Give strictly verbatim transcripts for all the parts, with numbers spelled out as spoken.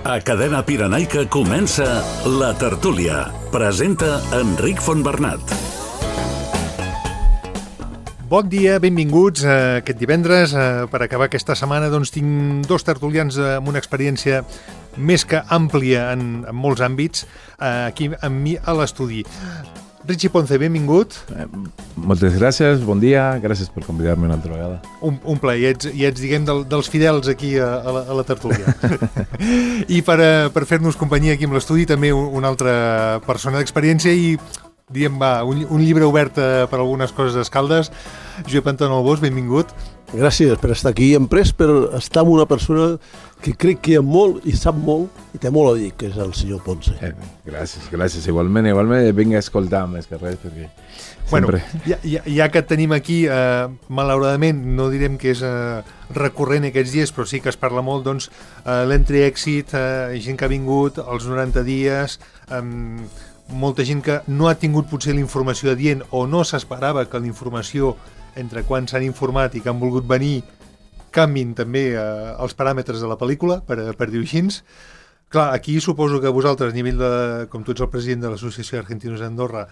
A Cadena Pirenaica comença La Tertúlia. Presenta Enric Fontbernat. Bon dia, benvinguts a aquest divendres. Per acabar aquesta setmana doncs, tinc dos tertulians amb una experiència més que àmplia en, en molts àmbits aquí amb mi a l'estudi. Richie Ponce, benvingut. Eh, moltes gràcies, bon dia, gràcies per convidar-me una altra vegada. Un, un plaer, ja ets, ja ets diguem, del, dels fidels aquí a, a, la, a la tertúlia. I per, per fer-nos companyia aquí amb l'estudi també una altra persona d'experiència i diguem, va, un, un llibre obert per algunes coses escaldes. Josep Anton Albós, benvingut. Gràcies per estar aquí, emprès per estar amb una persona que crec que hi ha molt i sap molt i té molt a dir, que és el senyor Ponce. Eh, gràcies, gràcies. Igualment, igualment vinc a escoltar més que res, perquè sempre... Bueno, ja, ja, ja que et tenim aquí, eh, malauradament, no direm que és eh, recurrent aquests dies, però sí que es parla molt, doncs, eh, l'entry-exit, eh, gent que ha vingut, els noranta dies... Eh, molta gent que no ha tingut potser la informació adient o no s'esperava que la informació entre quan s'han informat i que han volgut venir canvin també eh, els paràmetres de la pel·lícula, per, per dir-ho així. Clar, aquí suposo que vosaltres, a nivell de, com tu ets el president de l'Associació d'Argentinos d'Andorra,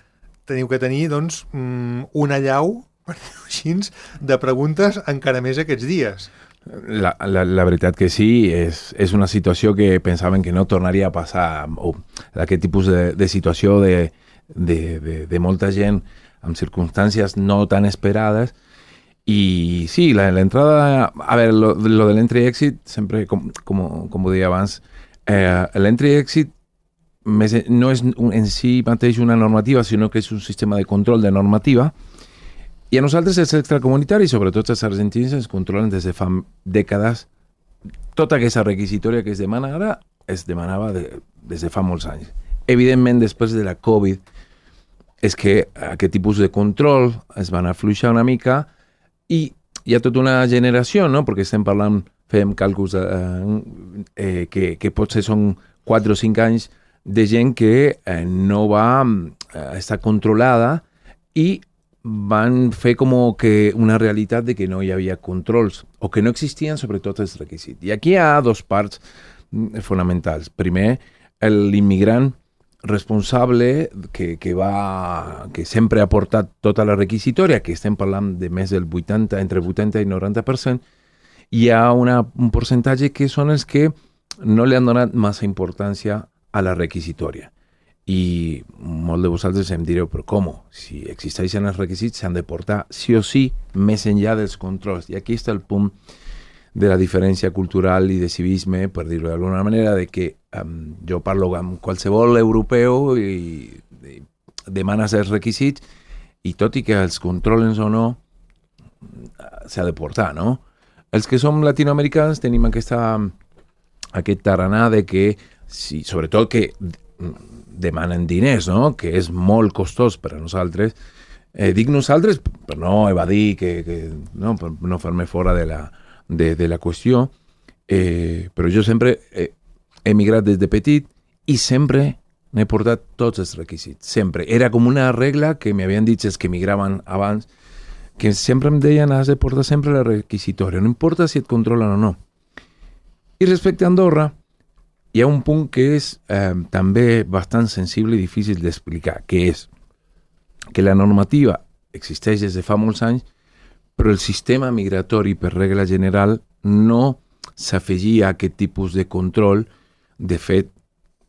teniu que tenir, doncs, una allau, per dir-ho així, de preguntes encara més aquests dies. La, la, la veritat que sí, és, és una situació que pensaven que no tornaria a passar, o aquest tipus de, de situació de, de, de, de molta gent amb circumstàncies no tan esperades. I sí, la, la entrada, a veure, lo, lo de l'entry-exit, sempre, com, com, com ho deia abans, eh, l'entry-exit no és en si mateix una normativa, sinó que és un sistema de control de normativa. I a nosaltres, els extracomunitaris, sobretot els argentins, ens controlen des de fa dècades. Tota aquesta requisitòria que es demana ara es demanava de, des de fa molts anys. Evidentment, després de la Covid, és que aquest tipus de control es van afluixar una mica i hi ha tota una generació, no? Perquè estem parlant, fem càlculs eh, eh, que, que potser són quatre o cinc anys de gent que eh, no va eh, estar controlada i van fer com que una realitat de que no hi havia controls o que no existien sobretot els requisits. I aquí hi ha dos parts fonamentals. Primer, l'immigrant responsable que, que, va, que sempre ha portat tota la requisitòria, que estem parlant de més del vuitanta, entre vuitanta i noranta per cent, hi ha una, un percentatge que són els que no li han donat massa importància a la requisitòria. I molt de vosaltres em direu, però com? Si existeixen els requisits, s'han de portar sí o sí més enllà dels controls. I aquí està el punt de la diferència cultural i de civisme, per dir-ho d'alguna manera, de que um, jo parlo amb qualsevol europeu i, i demanes els requisits i tot i que els controlen o no, s'ha de portar, no? Els que som latinoamericans tenim aquesta, aquest taranà de que, si, sobretot que demanen diners, no? Que és molt costós per a nosaltres. Eh, dic nosaltres per no evadir, que, que, no? Per no fer-me fora de la, de, de la qüestió, eh, però jo sempre he emigrat des de petit i sempre n'he portat tots els requisits, sempre. Era com una regla que m'havien dit els que emigraven abans, que sempre em deien has de portar sempre la requisitòria, no importa si et controlen o no. I respecte a Andorra, hi ha un punt que és eh, també bastant sensible i difícil d'explicar, que és que la normativa existeix des de fa molts anys, però el sistema migratori, per regla general, no s'afegia a aquest tipus de control. De fet,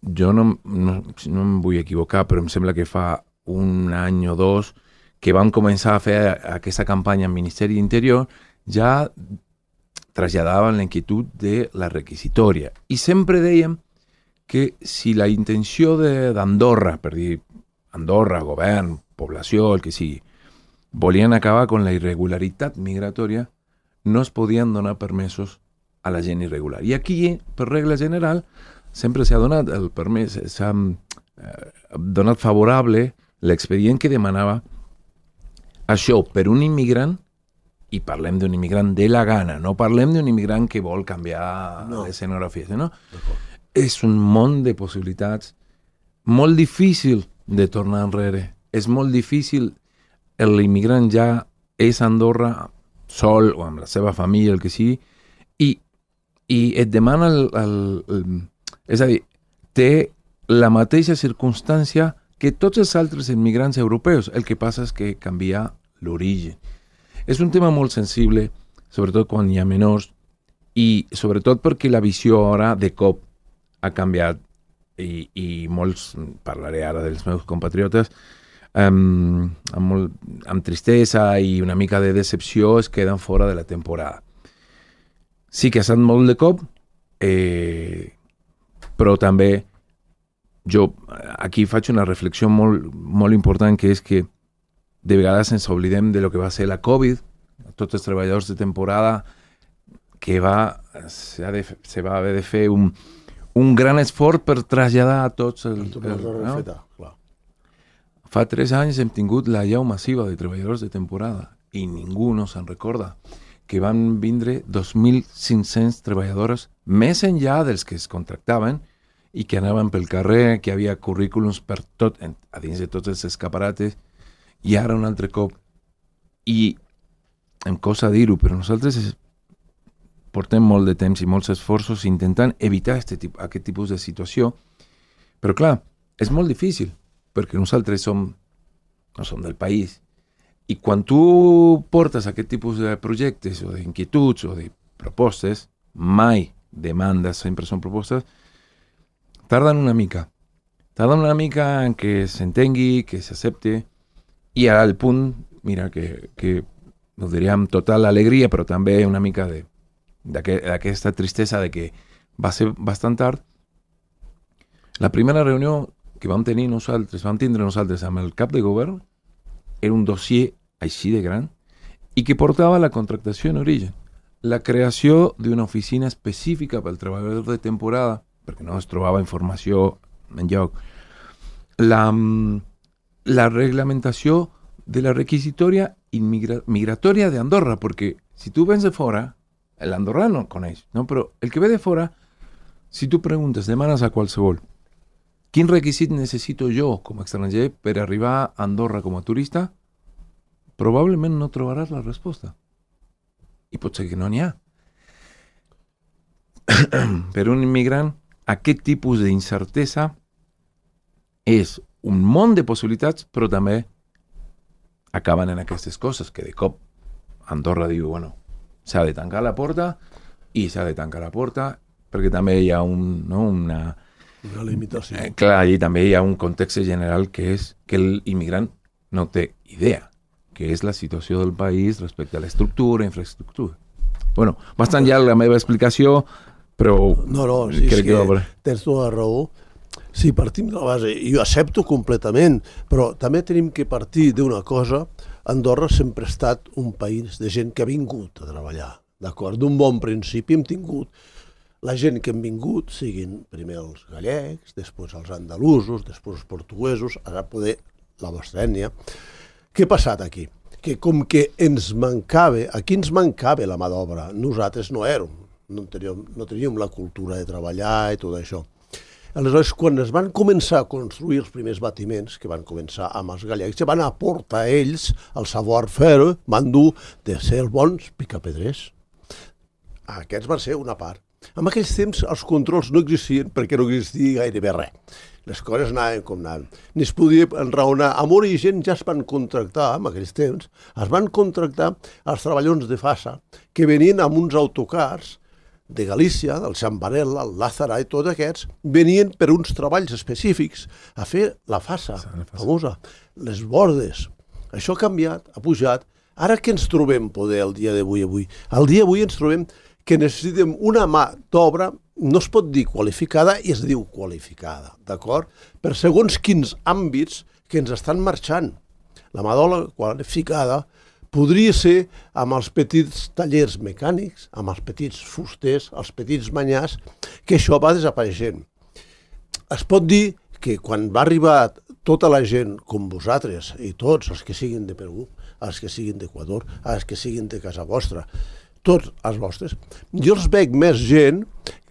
jo no, no, no em vull equivocar, però em sembla que fa un any o dos que vam començar a fer aquesta campanya al Ministeri d'Interior, ja traslladaven la inquietud de la requisitòria. I sempre dèiem que si la intenció d'Andorra, per dir Andorra, govern, població, el que sigui, volien acabar amb la irregularitat migratòria, no es podien donar permesos a la gent irregular. I aquí, per regla general, sempre s'ha donat el permès, s'ha eh, donat favorable l'expedient que demanava això per un immigrant. I parlem d'un immigrant de la gana, no parlem d'un immigrant que vol canviar no. l'escenografia, no? És un món de possibilitats molt difícil de tornar enrere. És molt difícil, l'immigrant ja és a Andorra sol o amb la seva família, el que sigui, i, i et demana el, el, el, És a dir, té la mateixa circumstància que tots els altres immigrants europeus. El que passa és que canvia l'origen. És un tema molt sensible, sobretot quan hi ha menors, i sobretot perquè la visió ara de cop ha canviat i, i molts, parlaré ara dels meus compatriotes, um, amb, molt, amb tristesa i una mica de decepció es queden fora de la temporada. Sí que ha estat molt de cop, eh, però també jo aquí faig una reflexió molt, molt important, que és que de vegades ens oblidem de lo que va ser la Covid, tots els treballadors de temporada, que va, se, ha de, se va haver de fer un, un gran esforç per traslladar a tots els... El, no? Clar. Fa tres anys hem tingut la llau massiva de treballadors de temporada i ningú no se'n recorda que van vindre dos mil cinc-cents treballadores més enllà dels que es contractaven i que anaven pel carrer, que hi havia currículums per tot, a dins de tots els escaparates, i ara un altre cop. I em costa dir-ho, però nosaltres portem molt de temps i molts esforços intentant evitar este tip, aquest tipus de situació, però clar, és molt difícil, perquè nosaltres som, no som del país, i quan tu portes aquest tipus de projectes o d'inquietuds o de propostes, mai demandes, sempre són propostes, tarden una mica. Tarden una mica en que s'entengui, que s'accepte, i al punt, mira, que, que ho diria amb total alegria, però també una mica de, d'aquesta tristesa de que va ser bastant tard. La primera reunió que vam tenir nosaltres, vam tindre nosaltres amb el cap de govern, era un dossier així de gran i que portava la contractació en origen, la creació d'una oficina específica pel treballador de temporada, perquè no es trobava informació en lloc, la, la reglamentació de la requisitòria immigra- migratòria d'Andorra, perquè si tu vens de fora, l'andorrà no el coneix, no? Però el que ve de fora, si tu preguntes, demanes a qualsevol, quin requisit necessito jo com a estranger per arribar a Andorra com a turista, probablement no trobaràs la resposta. I pot ser que no n'hi ha. Per un immigrant, aquest tipus d'incertesa és un món de possibilitats, però també acaben en aquestes coses, que de cop Andorra diu, bueno, s'ha de tancar la porta i s'ha de tancar la porta perquè també hi ha un, no, una... Una limitació. Eh, clar, i també hi ha un context general que és que l'immigrant no té idea, que és la situació del país respecte a l'estructura, infraestructura. Bueno, bastant ja la meva explicació, però no, no, sí, crec que, que va... tens tota la raó. Sí, partim de la base, i jo accepto completament, però també tenim que partir d'una cosa. Andorra sempre ha estat un país de gent que ha vingut a treballar, d'acord? D'un bon principi hem tingut la gent que han vingut, siguin primer els gallecs, després els andalusos, després els portuguesos, ara poder la vostra ètnia. Què ha passat aquí? Que com que ens mancava, aquí ens mancava la mà d'obra, nosaltres no érem, no teníem, no teníem la cultura de treballar i tot això. Aleshores, quan es van començar a construir els primers batiments, que van començar amb els gallecs, van aportar a ells el savoir-faire, van dur de ser els bons picapedrers. Aquests van ser una part. En aquells temps els controls no existien perquè no existia gairebé res. Les coses anaven com anaven. Ni es podia enraonar. Amb origen ja es van contractar, en aquells temps, es van contractar els treballadors de Fassa que venien amb uns autocars de Galícia, del Xambarella, el Lázara i tots aquests, venien per uns treballs específics a fer la Fassa, famosa, les bordes. Això ha canviat, ha pujat. Ara què ens trobem, poder, el dia d'avui? avui? El dia d'avui ens trobem que necessitem una mà d'obra, no es pot dir qualificada i es diu qualificada, d'acord? Per segons quins àmbits que ens estan marxant. La mà d'obra qualificada podria ser amb els petits tallers mecànics, amb els petits fusters, els petits manyars, que això va desapareixent. Es pot dir que quan va arribar tota la gent com vosaltres, i tots els que siguin de Perú, els que siguin d'Equador, els que siguin de casa vostra, tots els vostres, jo els veig més gent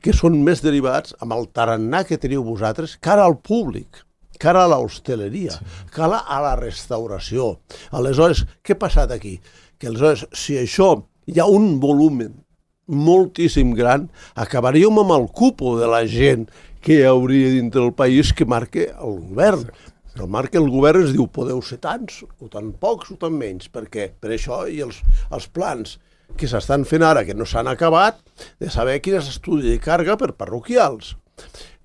que són més derivats amb el tarannà que teniu vosaltres cara al públic, cara a l'hostaleria, cara a la restauració. Aleshores, què ha passat aquí? Que aleshores, si això hi ha un volumen moltíssim gran, acabaríem amb el cupo de la gent què hi hauria dintre del país que marca el govern. El marca el govern es diu podeu ser tants, o tan pocs o tan menys, perquè per això i els, els plans que s'estan fent ara, que no s'han acabat, de saber quin és l'estudi de càrrega per parroquials.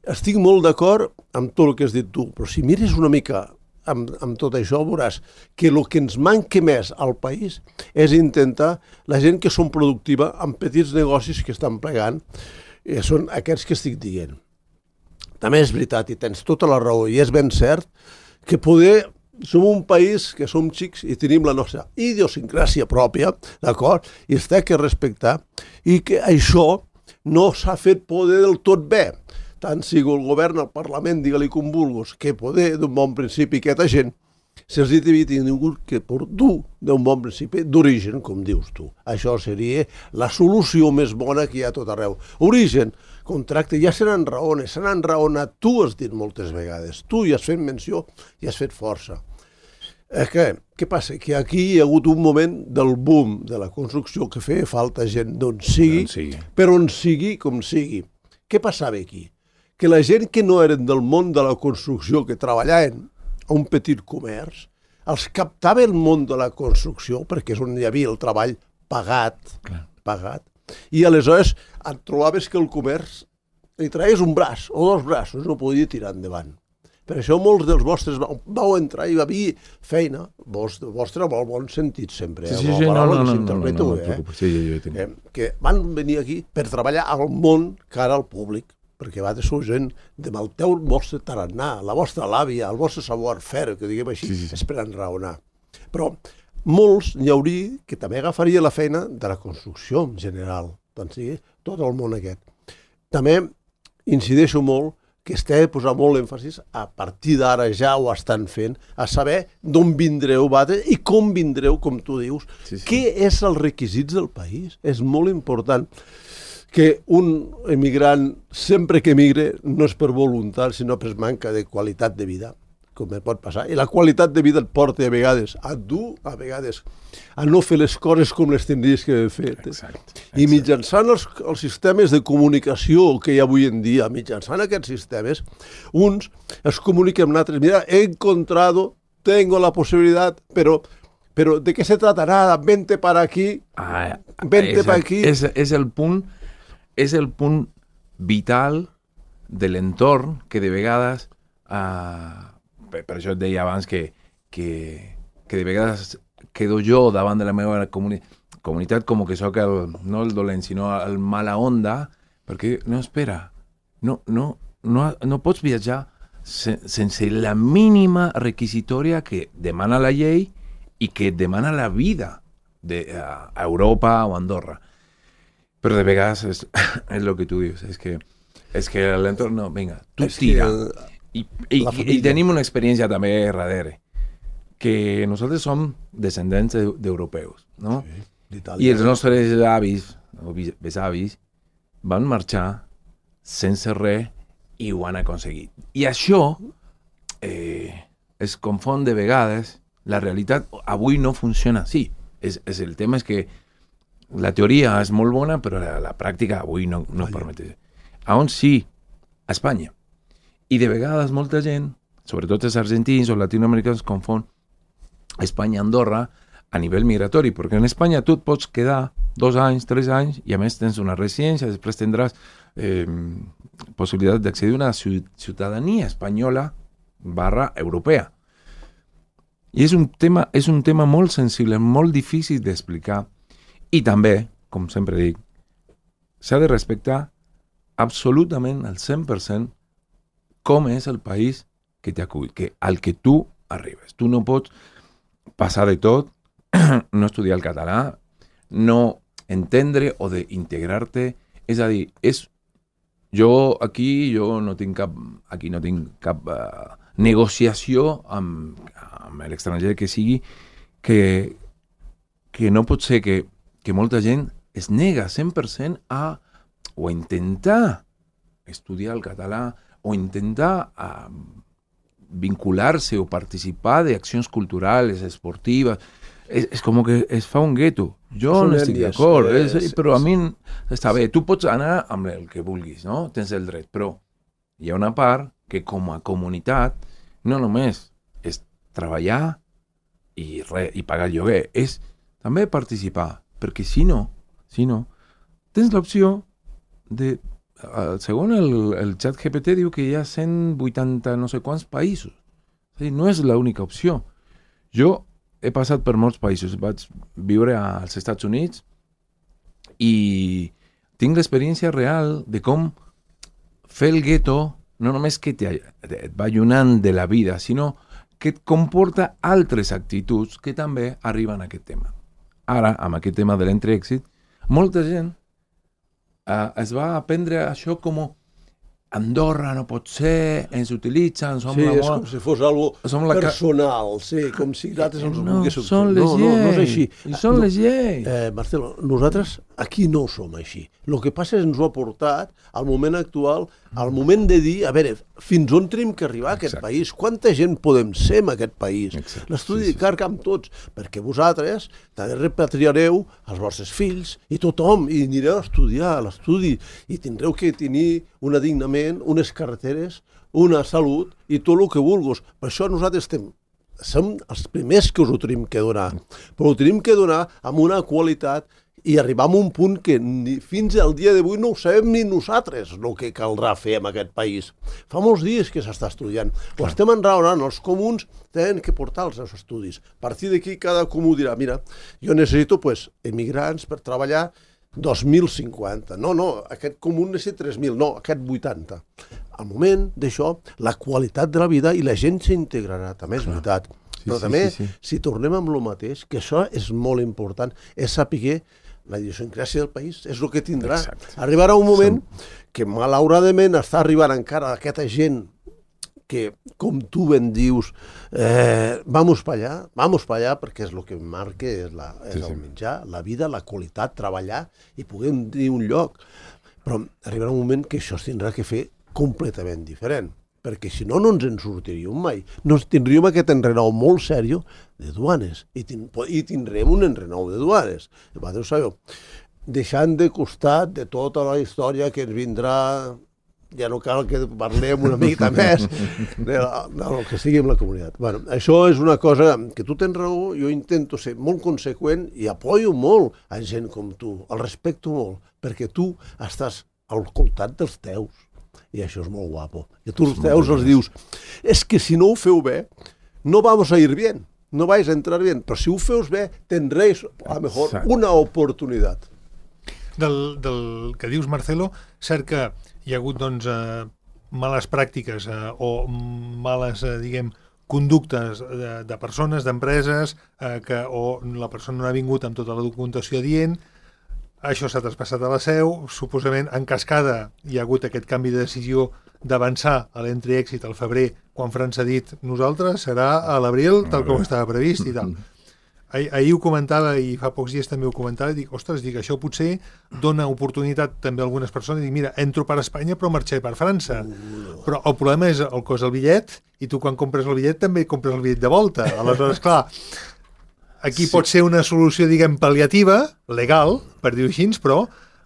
Estic molt d'acord amb tot el que has dit tu, però si mires una mica amb, amb tot això, veuràs que el que ens manca més al país és intentar la gent que són productiva amb petits negocis que estan plegant, eh, són aquests que estic dient. També és veritat, i tens tota la raó, i és ben cert, que poder, som un país que som xics i tenim la nostra idiosincràsia pròpia, d'acord? I es té que respectar, i que això no s'ha fet poder del tot bé. Tant sigui el govern, el Parlament, digue-li com vulguis, que poder d'un bon principi aquesta gent se'ls havia tingut que por dur d'un bon principi d'origen, com dius tu. Això seria la solució més bona que hi ha a tot arreu. Origen, contracte, ja se n'enraones, se n'enraonat, tu has dit moltes vegades, tu hi has fet menció i has fet força. Eh, què? Què passa? Que aquí hi ha hagut un moment del boom de la construcció que feia falta gent d'on sigui, sigui, però on sigui com sigui. Què passava aquí? Que la gent que no eren del món de la construcció, que treballaven a un petit comerç, els captava el món de la construcció, perquè és on hi havia el treball pagat, Clar. pagat, i aleshores et trobaves que el comerç li traies un braç o dos braços, no podia tirar endavant. Per això molts dels vostres vau, vau entrar i va haver feina, vostre, vostre amb el bon sentit sempre, sí, eh? sí, sí, no, no, no, no, no, no, no, eh? sí, jo, jo eh? Que van venir aquí per treballar al món cara al públic, perquè va de ser gent de el teu vostre tarannà, la vostra l'àvia, el vostre savoir-faire, que diguem així, sí, sí, sí. és per enraonar. Però molts n'hi hauria que també agafaria la feina de la construcció en general, doncs sigui, tot el món aquest. També incideixo molt que es té de posar molt èmfasis, a partir d'ara ja ho estan fent, a saber d'on vindreu, batre, i com vindreu, com tu dius, sí, sí. Què és els requisits del país. És molt important que un emigrant, sempre que emigre, no és per voluntat, sinó per manca de qualitat de vida, com pot passar. I la qualitat de vida et porta a vegades a dur, a vegades a no fer les coses com les tindries que haver fet. Exacte, exacte. I mitjançant els, els sistemes de comunicació que hi ha avui en dia, mitjançant aquests sistemes, uns es comuniquen amb altres. Mira, he encontrado, tengo la posibilidad, pero... Pero ¿de qué se trata? Nada, vente para aquí, ah, vente para aquí. És, és el punt, és el punt vital de l'entorn que de vegades, uh, per, per això et deia abans que, que, que de vegades quedo jo davant de la meva comuni comunitat com que sóc el, no el dolent, sinó el mala onda, perquè no, espera, no, no, no, no pots viatjar sen, sense la mínima requisitòria que demana la llei i que demana la vida de, a, a Europa o a Andorra. Però de vegades és, és el que tu dius, és que, és que l'entorn, no, vinga, tu és tira. Que, I, i, I tenim una experiència també darrere, que nosaltres som descendents d'europeus, no? Sí, i els nostres avis o besavis van marxar sense res i ho han aconseguit. I això eh, es confon de vegades. La realitat avui no funciona així. És, és el tema és que la teoria és molt bona, però la, la pràctica avui no, no permet. A on sí? A Espanya. I de vegades molta gent, sobretot els argentins o latinoamericans, confon Espanya i Andorra a nivell migratori, perquè en Espanya tu et pots quedar dos anys, tres anys, i a més tens una residència, després tindràs eh, possibilitat d'accedir a una ciutadania espanyola barra europea. I és un tema, és un tema molt sensible, molt difícil d'explicar. I també, com sempre dic, s'ha de respectar absolutament al cent per cent com és el país que t'acull, que al que tu arribes. Tu no pots passar de tot, no estudiar el català, no entendre o d'integrar-te. És a dir, és, jo aquí jo no tinc cap, aquí no tinc cap uh, negociació amb, amb l'estranger que sigui, que, que no pot ser que, que molta gent es nega cent per cent a o a intentar estudiar el català o intentar a vincular-se o participar d'accions culturals, esportives. És, és com que es fa un gueto. Jo no estic d'acord, però a mi està bé, tu pots anar amb el que vulguis, no? Tens el dret, però hi ha una part que com a comunitat no només és treballar i, re, i pagar el lloguer, és també participar, perquè si no, si no, tens l'opció de, uh, segons el, el xat G P T diu que hi ha cent vuitanta no sé quants països, és dir, no és l'única opció. Jo he passat per molts països, vaig viure als Estats Units i tinc l'experiència real de com fer el gueto no només que te, et va allunant de la vida, sinó que et comporta altres actituds que també arriben a aquest tema. Ara, amb aquest tema de l'entreèxit, molta gent eh, es va aprendre això com Andorra no pot ser, ens utilitzen, som sí, la... Sí, és com si fos algo personal, ca... sí, com si nosaltres els no, volguéssim. Són les no, no, no és així. I són no, les lleis. Eh, Marcelo, nosaltres aquí no som així. El que passa és que ens ho ha portat al moment actual, al moment de dir, a veure, fins on tenim que arribar a aquest Exacte. País? Quanta gent podem ser en aquest país? L'estudi sí, sí. de carca amb tots, perquè vosaltres també repatriareu els vostres fills i tothom, i anireu a estudiar a l'estudi, i tindreu que tenir un adignament, unes carreteres, una salut i tot el que vulguis. Per això nosaltres estem, som els primers que us ho tenim que donar, però ho tenim que donar amb una qualitat i arribar a un punt que ni, fins al dia d'avui no ho sabem ni nosaltres el que caldrà fer en aquest país. Fa molts dies que s'està estudiant. Ho estem enraonant, els comuns tenen que portar els seus estudis. A partir d'aquí cada comú dirà, mira, jo necessito pues, emigrants per treballar dos mil cinquanta. No, no, aquest comú necessita tres mil, no, aquest vuitanta. Al moment d'això, la qualitat de la vida i la gent s'integrarà, també és veritat. Sí, Però sí, també, sí, sí. si tornem amb el mateix, que això és molt important, és saber la idiosincràsia del país, és el que tindrà. Exacte. Arribarà un moment Som... que malauradament està arribant encara aquesta gent que, com tu ben dius, eh, vamos pa allà, vamos pa allà, perquè és el que marca, és, la, és sí, el menjar, la vida, la qualitat, treballar i poder tenir un lloc. Però arribarà un moment que això es tindrà que fer completament diferent, perquè si no, no ens en sortiríem mai. No tindríem aquest enrenou molt sèrio de duanes, i, tin i tindrem un enrenou de duanes. Vosaltres ho sabeu. Deixant de costat de tota la història que ens vindrà, ja no cal que parlem una mica més de la, del que sigui amb la comunitat. Bueno, això és una cosa que tu tens raó, jo intento ser molt conseqüent i apoyo molt a gent com tu, el respecto molt, perquè tu estàs al costat dels teus. I això és molt guapo. I tu els teus els dius, és que si no ho feu bé, no vamos a ir bien, no vais a entrar bien, però si ho feus bé, tendréis a lo mejor una oportunitat. Del, del que dius, Marcelo, cert que hi ha hagut doncs, eh, males pràctiques eh, o males, eh, diguem, conductes de, de persones, d'empreses, eh, que o la persona no ha vingut amb tota la documentació dient. Això s'ha traspassat a la seu, suposament en cascada hi ha hagut aquest canvi de decisió d'avançar a l'entreèxit al febrer, quan França ha dit nosaltres serà a l'abril, tal com estava previst i tal. Ah, ahir ho comentava i fa pocs dies també ho comentava i dic, ostres, dic, això potser dona oportunitat també a algunes persones i dic, mira, entro per Espanya però marxaré per França. Però el problema és el cost del bitllet i tu quan compres el bitllet també compres el bitllet de volta. Aleshores, clar, aquí sí. pot ser una solució, diguem, pal·liativa, legal, per dir-ho així, però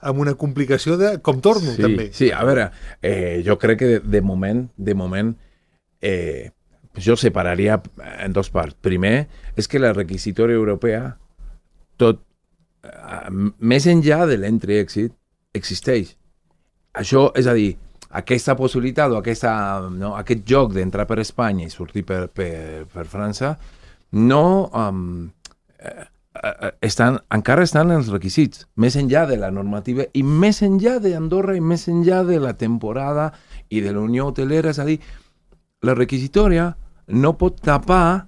amb una complicació de com torno, sí, també. Sí, a veure, eh, jo crec que de, de moment, de moment, eh, jo separaria en dos parts. Primer, és que la requisitòria europea, tot, eh, més enllà de l'entreèxit, existeix. Això, és a dir, aquesta possibilitat o aquesta, no, aquest joc d'entrar per Espanya i sortir per, per, per França, no... Um, estan, encara estan els requisits, més enllà de la normativa i més enllà d'Andorra i més enllà de la temporada i de la Unió Hotelera, és a dir, la requisitòria no pot tapar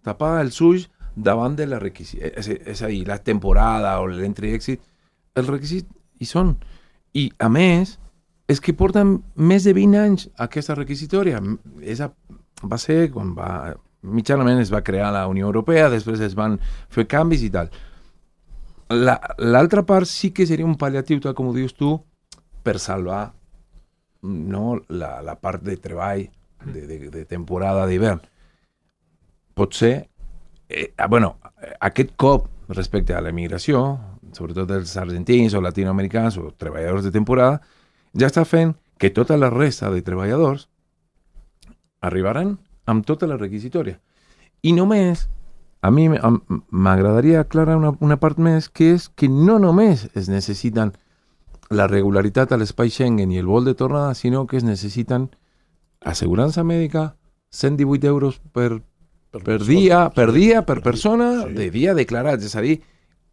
tapar els ulls davant de la requisita, és, és a dir, la temporada o l'entreèxit, els requisits hi són. I, a més, és que porten més de vint anys aquesta requisitòria. És a, va ser quan va... mitjanament es va crear la Unió Europea, després es van fer canvis i tal. L'altra la, part sí que seria un pal·liatiu, tal com ho dius tu, per salvar no, la, la part de treball de, de, de temporada d'hivern. Pot ser, eh, bueno, aquest cop respecte a l'emigració, sobretot els argentins o latinoamericans o treballadors de temporada, ja està fent que tota la resta de treballadors arribaran amb tota la requisitòria. I només, a mi m'agradaria aclarar una, una part més, que és que no només es necessiten la regularitat a l'espai Schengen i el vol de tornada, sinó que es necessiten assegurança mèdica, cent divuit euros per, per, per dia, per dia, per persona, sí. de dia declarat. És a dir,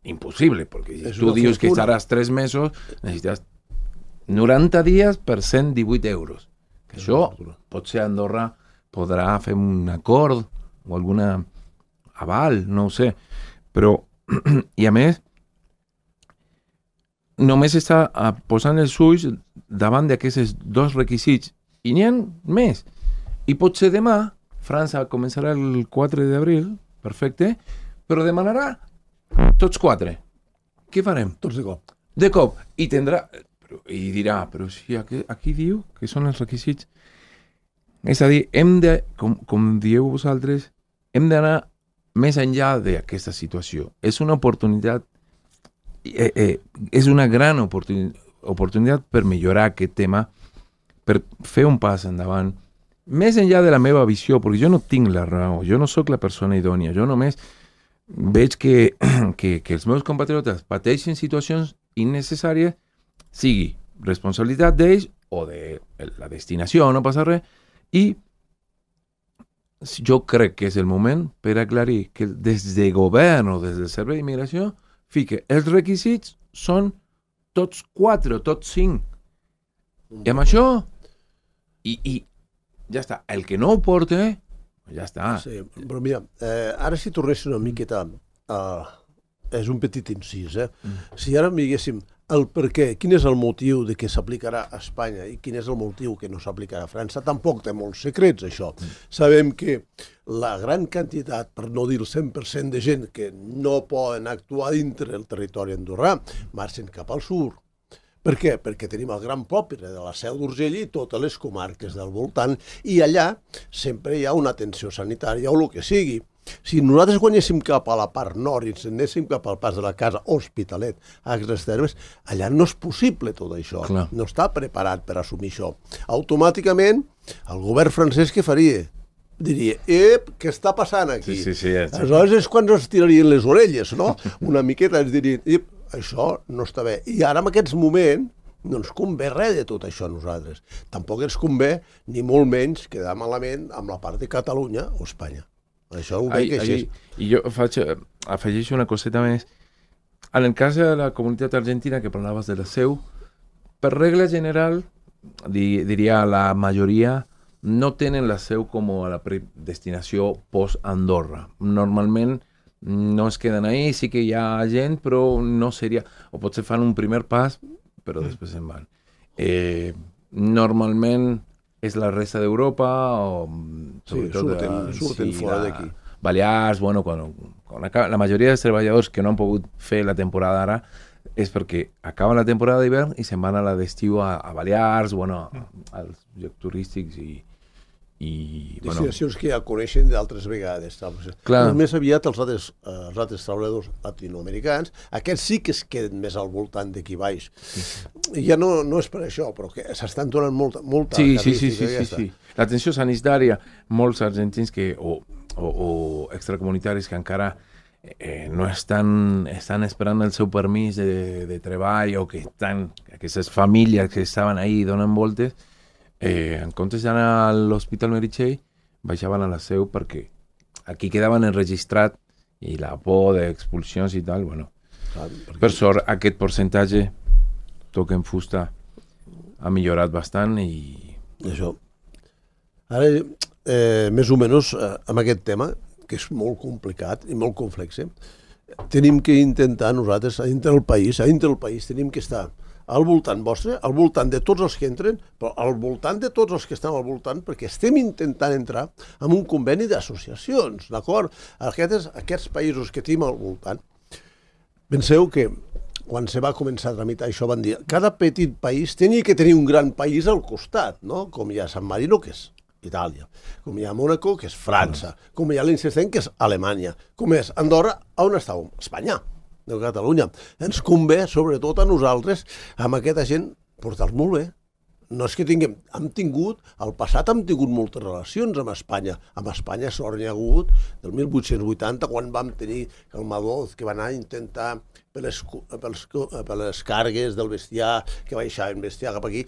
impossible, perquè si tu dius que estaràs tres mesos, necessites noranta dies per cent divuit euros. Que això, potser Andorra podrà fer un acord o alguna aval, no ho sé. Però, i a més, només està posant els ulls davant d'aquests dos requisits. I n'hi ha més. I potser demà, França començarà el quatre d'abril, perfecte, però demanarà tots quatre. Què farem? Tots de cop. De cop. I tindrà... I dirà, però si aquí, aquí diu que són els requisits. És a dir, hem de, com, com dieu vosaltres, hem d'anar més enllà d'aquesta situació. És una oportunitat, eh, eh, és una gran oportunitat, oportunitat per millorar aquest tema, per fer un pas endavant, més enllà de la meva visió, perquè jo no tinc la raó, jo no sóc la persona idònia, jo només veig que, que, que els meus compatriotes pateixen situacions innecessàries, sigui responsabilitat d'ells o de la destinació, no passa res, i jo crec que és el moment per aclarir que des de govern o des del Servei d'Immigració fique els requisits són tots quatre o tots cinc. I amb això, i, i ja està. El que no ho porta, ja està. Sí, però mira, eh, ara si tornéssim una miqueta a... És un petit incís, eh? Mm. Si ara diguéssim el per què, quin és el motiu de que s'aplicarà a Espanya i quin és el motiu que no s'aplicarà a França, tampoc té molts secrets, això. Mm. Sabem que la gran quantitat, per no dir el cent per cent de gent que no poden actuar dintre el territori andorrà, marxen cap al sud. Per què? Perquè tenim el gran poble de la Seu d'Urgell i totes les comarques del voltant, i allà sempre hi ha una atenció sanitària o el que sigui. Si nosaltres guanyéssim cap a la part nord i ens anéssim cap al pas de la casa Hospitalet, a aquestes termes, allà no és possible tot això. Clar. No està preparat per assumir això. Automàticament, el govern francès què faria? Diria, ep, què està passant aquí? Sí, sí, sí, ja, sí. Aleshores és quan es tirarien les orelles, no? Una miqueta ens dirien, ep, això no està bé. I ara en aquests moments no ens convé res de tot això a nosaltres. Tampoc ens convé, ni molt menys, quedar malament amb la part de Catalunya o Espanya. Això ho veig així. I jo faig, afegeixo una coseta més. En el cas de la comunitat argentina, que parlaves de la Seu, per regla general, di, diria la majoria, no tenen la Seu com a la destinació post-Andorra. Normalment no es queden ahí, sí que hi ha gent, però no seria... O potser fan un primer pas, però després se'n van. Eh, normalment... és la resta d'Europa o sí, surten, eh, surten sí, fora d'aquí. Balears, bueno, quan, quan acaba, la majoria dels treballadors que no han pogut fer la temporada ara és perquè acaben la temporada d'hivern i se'n van a la d'estiu a, a Balears, bueno, a, als llocs turístics i... i destinacions bueno, que ja coneixen d'altres vegades. Clar. Però més aviat els altres, eh, els altres treballadors latinoamericans, aquests sí que es queden més al voltant d'aquí baix. Sí. Ja no, no és per això, però que s'estan donant molta, molta sí, sí, sí, sí, sí, sí. L'atenció sanitària, molts argentins que, o, o, o extracomunitaris que encara eh, no estan, estan esperant el seu permís de, de treball o que estan, aquestes famílies que estaven ahí donen voltes, Eh, en comptes d'anar a l'Hospital Meritxell, baixaven a la Seu perquè aquí quedaven enregistrat i la por d'expulsions i tal, bueno, ah, perquè... per sort aquest percentatge toca en fusta ha millorat bastant i... Això. Ara, eh, més o menys, eh, amb aquest tema, que és molt complicat i molt complex, eh, tenim que intentar nosaltres, a dintre del país, a dintre del país tenim que estar al voltant vostre, al voltant de tots els que entren, però al voltant de tots els que estan al voltant, perquè estem intentant entrar en un conveni d'associacions, d'acord? Aquests, aquests països que tenim al voltant, penseu que quan se va començar a tramitar això van dir cada petit país tenia que tenir un gran país al costat, no? Com hi ha San Marino, que és Itàlia, com hi ha Mónaco, que és França, com hi ha Liechtenstein, que és Alemanya, com és Andorra, on estàvem? Espanya. De Catalunya. Ens convé, sobretot a nosaltres, amb aquesta gent, portar-los molt bé. No és que tinguem... Hem tingut... Al passat hem tingut moltes relacions amb Espanya. Amb Espanya sort n'hi ha hagut del mil vuit-cents vuitanta, quan vam tenir el Madoz, que va anar a intentar per les, per les, per les cargues del bestiar, que baixaven bestiar cap aquí.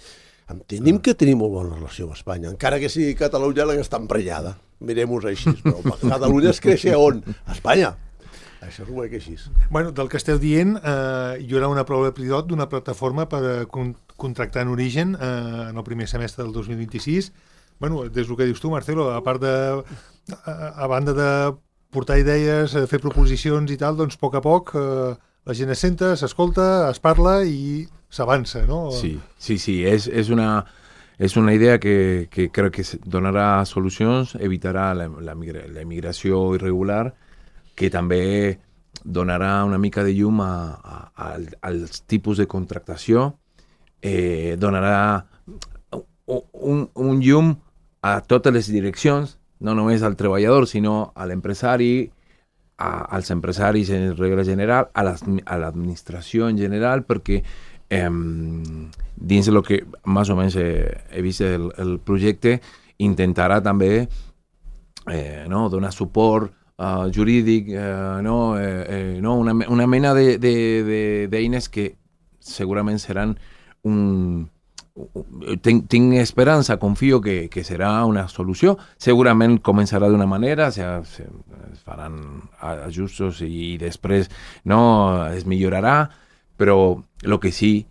Tenim que tenir molt bona relació amb Espanya, encara que sigui Catalunya la que està emprenyada. Mirem-ho així, però Catalunya es creix a on? A Espanya. Això ho veig així. Bueno, del que esteu dient, eh, hi haurà una prova pilot d'una plataforma per a con contractar en origen eh, en el primer semestre del dos mil vint-i-sis. Bueno, des del que dius tu, Marcelo, a part de... A, a banda de portar idees, fer proposicions i tal, doncs a poc a poc eh, la gent es senta, s'escolta, es parla i s'avança, no? Sí, sí, sí, és, és una... És una idea que, que crec que donarà solucions, evitarà la, la, migra la immigració irregular, que també donarà una mica de llum a, a, a, als tipus de contractació, eh, donarà un, un llum a totes les direccions, no només al treballador, sinó a l'empresari, als empresaris en regla general, a l'administració en general, perquè eh, dins del que més o menys he, he vist el, el projecte, intentarà també eh, no, donar suport Uh, jurídic, uh, no, eh, eh, no, una, una mena de, de, de, d'eines que segurament seran un... Tinc, tinc esperança, confio que, que serà una solució. Segurament començarà d'una manera, se, se, es faran ajustos i, i després no, es millorarà, però el que sí,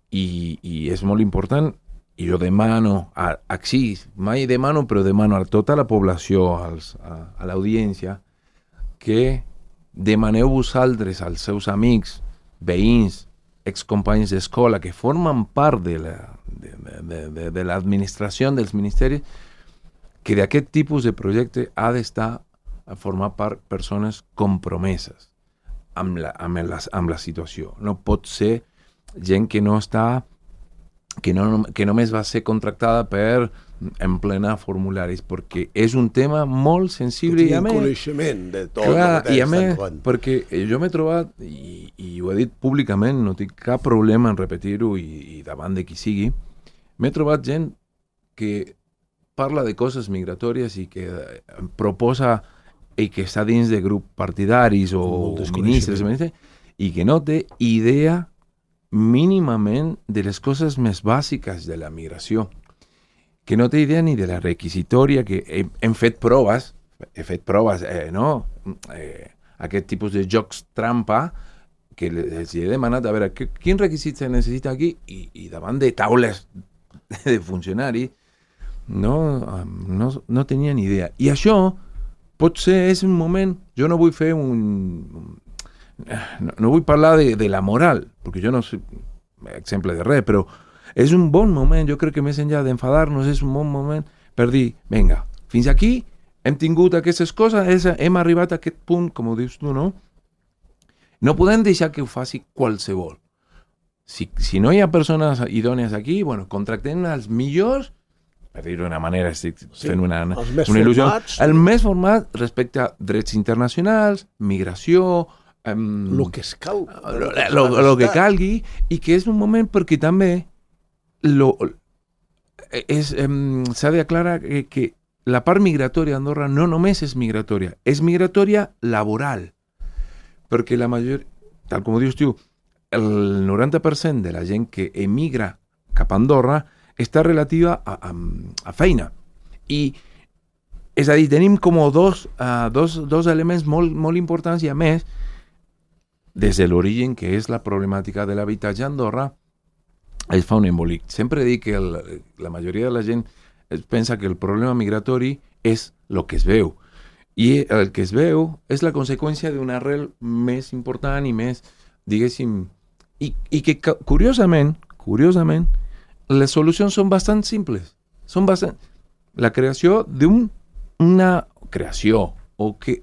i, i és molt important, i jo demano, a, aquí, mai demano, però demano a tota la població, als, a, a l'audiència, que demaneu vosaltres als seus amics, veïns, excompanys d'escola que formen part de, la, de, de, de, de l'administració dels ministeris, que d'aquest tipus de projecte ha d'estar a formar part persones compromeses amb la, amb, la, amb la situació. No pot ser gent que no està, que, no, que només va ser contractada per emplenar formularis, perquè és un tema molt sensible i a més... coneixement de tot. Clar, i a més, perquè jo m'he trobat, i, i ho he dit públicament, no tinc cap problema en repetir-ho i, i davant de qui sigui, m'he trobat gent que parla de coses migratòries i que proposa i que està dins de grups partidaris o ministres, i que no té idea mínimament de les coses més bàsiques de la migració, que no té idea ni de la requisitòria, que hem, hem fet proves, he fet proves, eh, no? Eh, aquest tipus de jocs trampa, que els he demanat a veure que, quin requisit se necessita aquí, i, i davant de taules de funcionaris, no, no, no tenia ni idea. I això pot ser, és un moment, jo no vull fer un... No, no vull parlar de, de la moral, perquè jo no soy exemple de res, però és un bon moment, jo crec que més enllà d'enfadar-nos és un bon moment per dir, vinga, fins aquí hem tingut aquestes coses, hem arribat a aquest punt, com ho dius tu, no? No podem deixar que ho faci qualsevol. Si, si no hi ha persones idònies aquí, bueno, contractem els millors, per dir-ho d'una manera, estic fent una, una il·lusió, formats, el més format respecte a drets internacionals, migració, Um, lo que es cal, lo, lo, lo que calgui, i que és un moment perquè també lo, és, um, s'ha d'aclarar que, que la part migratòria d'Andorra no només és migratòria, és migratòria laboral, perquè la major, tal com dius tu, el noranta per cent de la gent que emigra cap a Andorra està relativa a, a, a feina, i és a dir, tenim com dos, uh, dos, dos elements molt, molt importants, i a més des de l'origen, que és la problemàtica de l'habitatge a Andorra, es fa un embolic. Sempre dic que el, la majoria de la gent pensa que el problema migratori és el que es veu. I el que es veu és la conseqüència d'una arrel més important i més, diguéssim, i, i que curiosament, curiosament, les solucions són bastant simples. Són bastant... La creació d'una creació, o que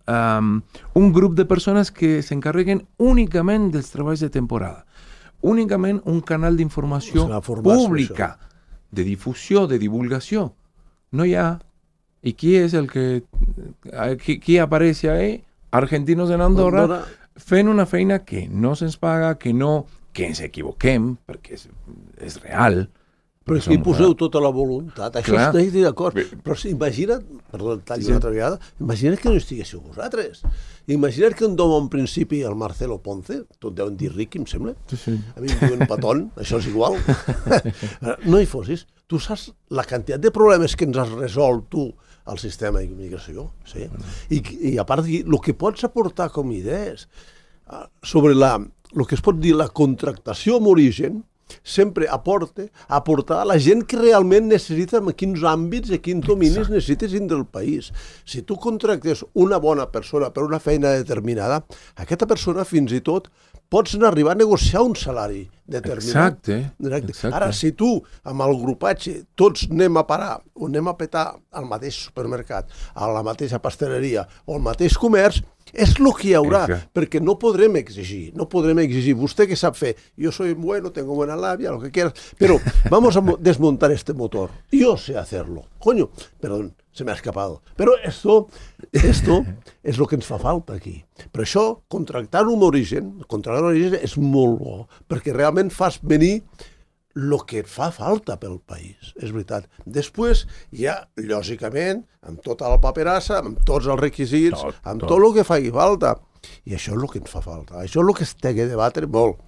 Um, un grup de persones que s'encarreguen únicament dels treballs de temporada, únicament un canal d'informació pública, de difusió, de divulgació. No hi ha, i qui és el que qui, qui apareix ahí? Argentinos en Andorra, Andorra fent una feina que no se'ns paga, que no, que ens equivoquem, perquè és, és real, Però aquí poseu tota la voluntat, això Clar. estic d'acord. Però si, imagina't, perdó, tallo sí. una altra vegada, imagina't que no estiguéssiu vosaltres. Imagina't que un dom en principi, el Marcelo Ponce, tot deuen dir ric, em sembla, Sí, sí. a mi em diuen petón, això és igual, no hi fossis. Tu saps la quantitat de problemes que ens has resolt tu al sistema d'immigració, sí? I, i a part, el que pots aportar com idees sobre la, el que es pot dir la contractació amb origen, sempre aporta, aportar a la gent que realment necessita en quins àmbits i quins dominis Exacte. necessites dins del país. Si tu contractes una bona persona per una feina determinada, aquesta persona fins i tot pots arribar a negociar un salari determinat. Exacte. Exacte. Ara, si tu, amb el grupatge, tots anem a parar o anem a petar al mateix supermercat, a la mateixa pasteleria o al mateix comerç, és el que hi haurà, Exacte. perquè no podrem exigir, no podrem exigir, vostè que sap fer, jo soy bueno, tengo buena labia, lo que quieras, pero vamos a desmontar este motor, yo sé hacerlo, coño, perdón, se me ha escapado, pero esto, esto és el que ens fa falta aquí. Per això, contractar un origen, contractar un origen és molt bo, perquè realment fas venir el que fa falta pel país, és veritat. Després, ja, lògicament, amb tota la paperassa, amb tots els requisits, tot, amb tot. tot el que faci falta. I això és el que ens fa falta. Això és el que es té que debatre molt.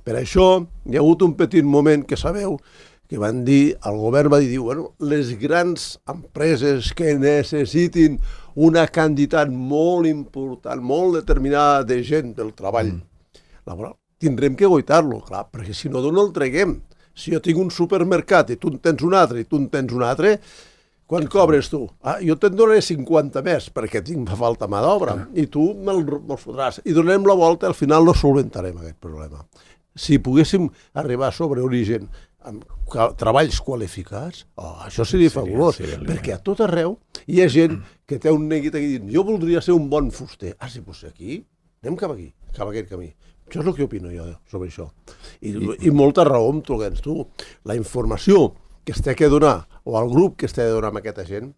Per això, hi ha hagut un petit moment que sabeu que van dir, el govern va dir, bueno, les grans empreses que necessitin una quantitat molt important, molt determinada de gent del treball mm. laboral, tindrem que guaitar-lo, clar, perquè si no, d'on el treguem? Si jo tinc un supermercat i tu en tens un altre i tu en tens un altre, quan cobres tu? Ah, jo te'n donaré cinquanta més perquè tinc falta mà d'obra i tu me'l me'l fotràs. I donem la volta, al final no solventarem aquest problema. Si poguéssim arribar sobre origen amb treballs qualificats, oh, això seria fabulós, seria, seria perquè a tot arreu hi ha gent que té un neguit aquí dient jo voldria ser un bon fuster. Ah, sí, doncs aquí, anem cap aquí, cap a aquest camí. Això és el que opino jo sobre això. I, i molta raó amb tu, tu. La informació que es té que donar, o el grup que es té de donar amb aquesta gent,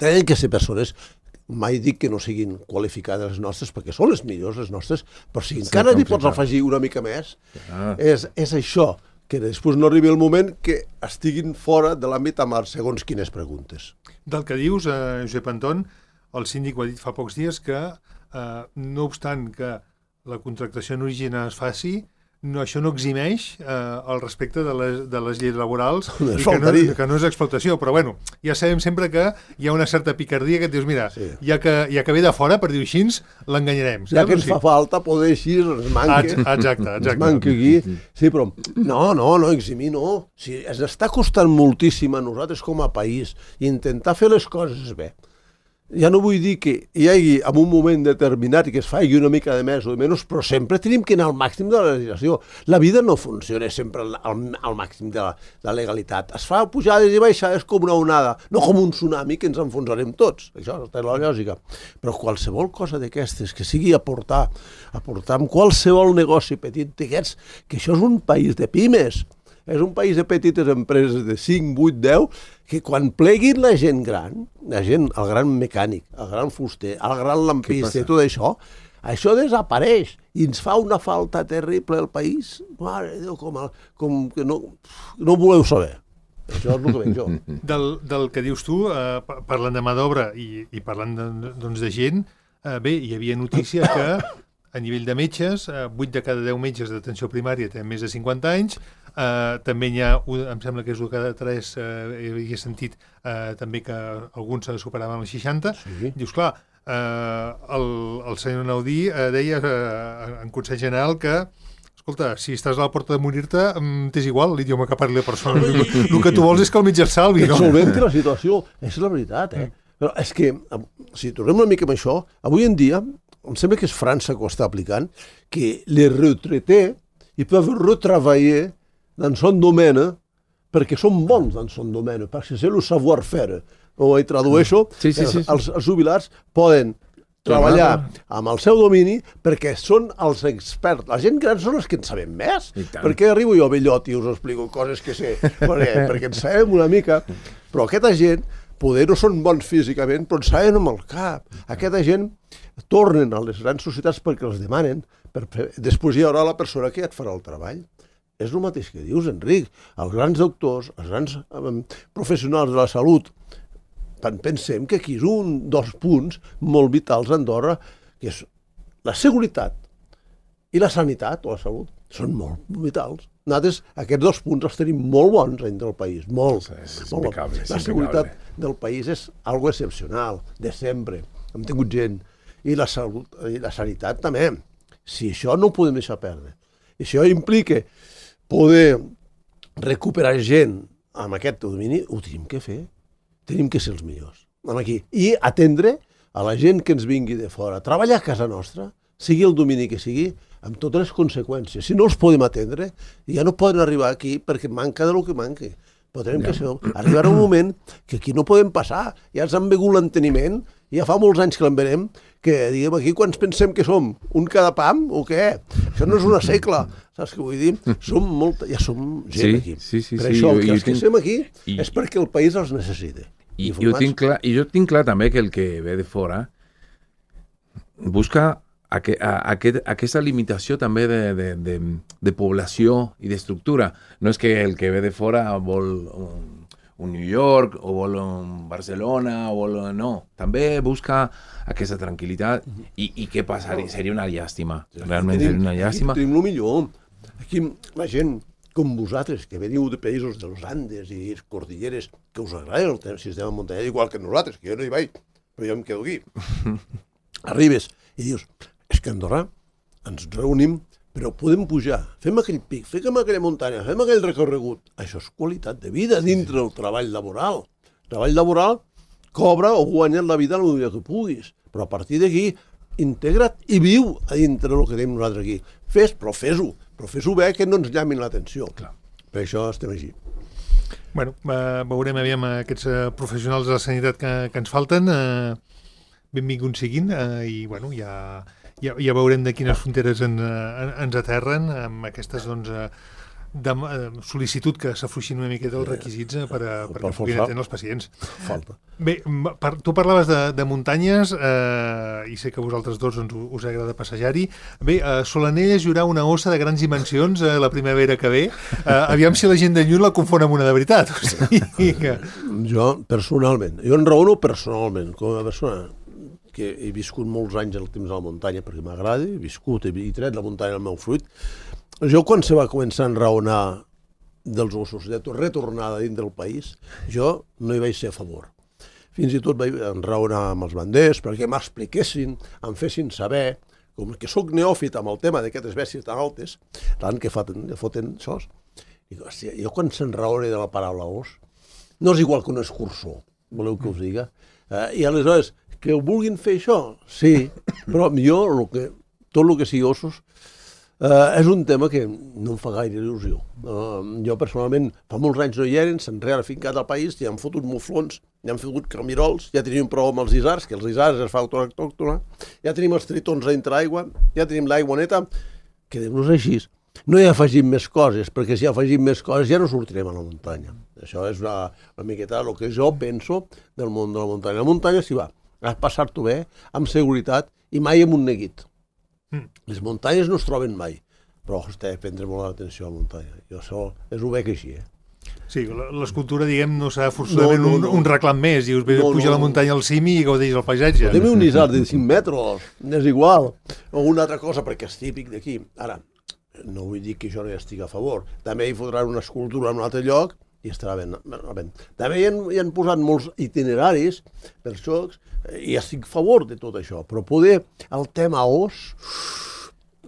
tenen que ser persones, mai dic que no siguin qualificades les nostres, perquè són les millors les nostres, però si encara n'hi pots afegir una mica més, ah. és, és això, que després no arribi el moment que estiguin fora de l'àmbit amb segons quines preguntes. Del que dius, eh, Josep Anton, el síndic ho ha dit fa pocs dies que, eh, no obstant que la contractació en origen es faci, no, això no eximeix eh, el respecte de les, de les lleis laborals i que no, que no és explotació, però bueno, ja sabem sempre que hi ha una certa picardia que et dius, mira, sí. ja, que, ja que ve de fora, per dir-ho així, l'enganyarem. Ja que ens sí. fa falta poder així, ens manque. Exacte, exacte. Ens manque aquí. Sí, però no, no, no, eximir no. Si ens està costant moltíssim a nosaltres com a país intentar fer les coses bé. Ja no vull dir que hi hagi en un moment determinat i que es faci una mica de més o de menys, però sempre tenim que anar al màxim de la legislació. La vida no funciona sempre al, al, al màxim de la, de la legalitat. Es fa pujades i baixades com una onada, no com un tsunami que ens enfonsarem tots. Això és la lògica. Però qualsevol cosa d'aquestes que sigui aportar, aportar amb qualsevol negoci petit d'aquests, que això és un país de pimes, és un país de petites empreses de cinc, vuit, deu, que quan pleguin la gent gran, la gent, el gran mecànic, el gran fuster, el gran lampista i tot això, això desapareix i ens fa una falta terrible al país. Mare de Déu, com, el, com que no, no ho voleu saber. Això és el que veig jo. Del, del que dius tu, eh, parlant de mà d'obra i, i parlant de, doncs, de gent, eh, bé, hi havia notícia que a nivell de metges, eh, vuit de cada deu metges d'atenció primària tenen més de cinquanta anys, eh, també hi ha, em sembla que és un de cada tres, eh, he sentit eh, també que alguns superaven els seixanta, sí. Dius, clar, eh, el, el senyor Naudí eh, deia eh, en Consell General que escolta, si estàs a la porta de morir-te, t'és igual l'idioma que parli la persona. El, el que tu vols és que el metge et salvi, no? Que solventi la situació, és la veritat, eh? Però és que, si tornem una mica amb això, avui en dia, em sembla que és França que ho està aplicant, que les retraités, ils peuvent retravailler dans son domaine, perquè són bons dans son domaine, perquè c'est le savoir-faire. O hi tradueixo, sí, sí, sí, sí. Els, els jubilats poden treballar amb el seu domini perquè són els experts. La gent gran són els que en sabem més. Perquè arribo jo vellot i us explico coses que sé, perquè, perquè en sabem una mica, però aquesta gent poder no són bons físicament, però en saben amb el cap. Aquesta gent tornen a les grans societats perquè els demanen. Per... Després hi haurà la persona que ja et farà el treball. és el mateix que dius, Enric. Els grans doctors, els grans eh, professionals de la salut, pensem que aquí és un dels punts molt vitals a Andorra, que és la seguretat i la sanitat o la salut, són molt vitals. Nosaltres aquests dos punts els tenim molt bons entre el país, molt. És, és molt impecable, és la seguretat del país és algo excepcional, de sempre. Hem tingut gent. I la salut i la sanitat també. Si això no ho podem deixar perdre. I això implica poder recuperar gent amb aquest domini, ho tenim que fer. Tenim que ser els millors. Aquí. I atendre a la gent que ens vingui de fora. Treballar a casa nostra, sigui el domini que sigui, amb totes les conseqüències. Si no els podem atendre, ja no poden arribar aquí perquè manca de lo que manqui. Però tenim que ser... Arribarà un moment que aquí no podem passar. Ja ens han begut l'enteniment, ja fa molts anys que l'envenem, que diguem aquí quants pensem que som? Un cada pam o què? Això no és una segle, saps què vull dir? Som molta, ja som gent sí, aquí. Sí, sí, per sí, això jo, que els que tinc... estem aquí I... és perquè el país els necessita. I, jo tinc clar, I jo tinc clar també que el que ve de fora busca Aqu a, aquest, aquesta limitació també de, de, de, de població i d'estructura. No és que el que ve de fora vol un, un New York o vol un Barcelona o vol... No, també busca aquesta tranquil·litat i, i què passaria? Seria una llàstima. Realment tenim, seria una llàstima. Aquí tenim el millor. Aquí la gent com vosaltres, que veniu de països dels Andes i cordilleres, que us agrada el sistema muntanyà igual que nosaltres, que jo no hi vaig, però jo em quedo aquí. Arribes i dius... És que a Andorra ens reunim, però podem pujar, fem aquell pic, fem aquella muntanya, fem aquell recorregut. Això és qualitat de vida dintre del treball laboral. El treball laboral cobra o guanya la vida el millor que puguis, però a partir d'aquí integra't i viu a dintre del que tenim nosaltres aquí. Fes, però fes-ho, però fes-ho bé que no ens llamin l'atenció. Per això estem així. Bueno, eh, veurem aviam aquests eh, professionals de la sanitat que, que ens falten, eh, benvinguts siguin, eh, i bueno, ja... Ja, ja veurem de quines fronteres en, en, ens aterren amb aquestes doncs, de, de sol·licitud que s'afluixin una miqueta els requisits per a, perquè puguin atendre els pacients. Falta. Bé, per, tu parlaves de, de muntanyes eh, i sé que vosaltres dos doncs, us agrada passejar-hi. Bé, a Solanelles hi haurà una ossa de grans dimensions eh, la primavera que ve. Eh, aviam si la gent de lluny la confon amb una de veritat. O sigui que... Jo, personalment, jo enraono personalment, com a persona que he viscut molts anys al temps de la muntanya perquè m'agrada, he viscut, he tret la muntanya al meu fruit. Jo, quan se va començar a enraonar dels ossos de retornada dins del país, jo no hi vaig ser a favor. Fins i tot vaig enraonar amb els banders perquè m'expliquessin, em fessin saber, com que sóc neòfit amb el tema d'aquestes bèsties tan altes, tant que foten, foten això. Dic, hòstia, jo quan s'enraone de la paraula os, no és igual que un escurçó, voleu que us diga? Eh, I aleshores, que ho vulguin fer això, sí, però jo lo que, tot el que sigui ossos eh, és un tema que no em fa gaire il·lusió. Uh, jo personalment fa molts anys no hi eren, s'han reafincat al país, ja han fotut muflons, ja han fotut camirols, ja tenim prou amb els isars, que els isars es fa autòctona, ja tenim els tritons a dintre l'aigua, ja tenim l'aigua neta, quedem-nos així. No hi afegim més coses, perquè si afegim més coses ja no sortirem a la muntanya. Això és una, una miqueta el que jo penso del món de la muntanya. La muntanya s'hi va a passar-t'ho bé, amb seguretat i mai amb un neguit. Mm. Les muntanyes no es troben mai, però hosti, prendre molt l'atenció a la muntanya. Jo això és ho veig així, eh? Sí, l'escultura, diguem, no serà forçosament no, no, no. Un, un reclam més. Dius, ve, no, puja no, a la muntanya al cim i gaudeix el paisatge. Podem un isard de cinc metres, és igual. O una altra cosa, perquè és típic d'aquí. Ara, no vull dir que jo no hi estigui a favor. També hi fotran una escultura en un altre lloc i estarà ben. ben. També hi han, hi han posat molts itineraris per xocs i estic a favor de tot això, però poder el tema os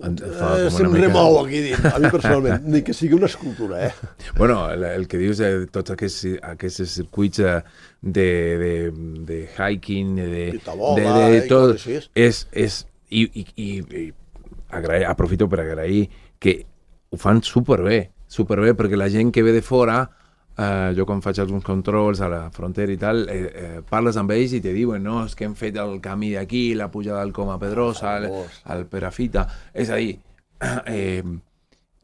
eh, se'm remou aquí dins, a mi personalment, ni que sigui una escultura, eh? Bueno, el, el que dius de tots aquests, aquests circuits de, de, de hiking, de, tabola, de, de tot, és, és, i, i, i, i agrair, aprofito per agrair que ho fan superbé, superbé, perquè la gent que ve de fora, Uh, jo quan faig alguns controls a la frontera i tal, eh, eh, parles amb ells i te diuen, no, és que hem fet el camí d'aquí, la pujada del Coma Pedrosa, al, al Perafita. És a dir, eh,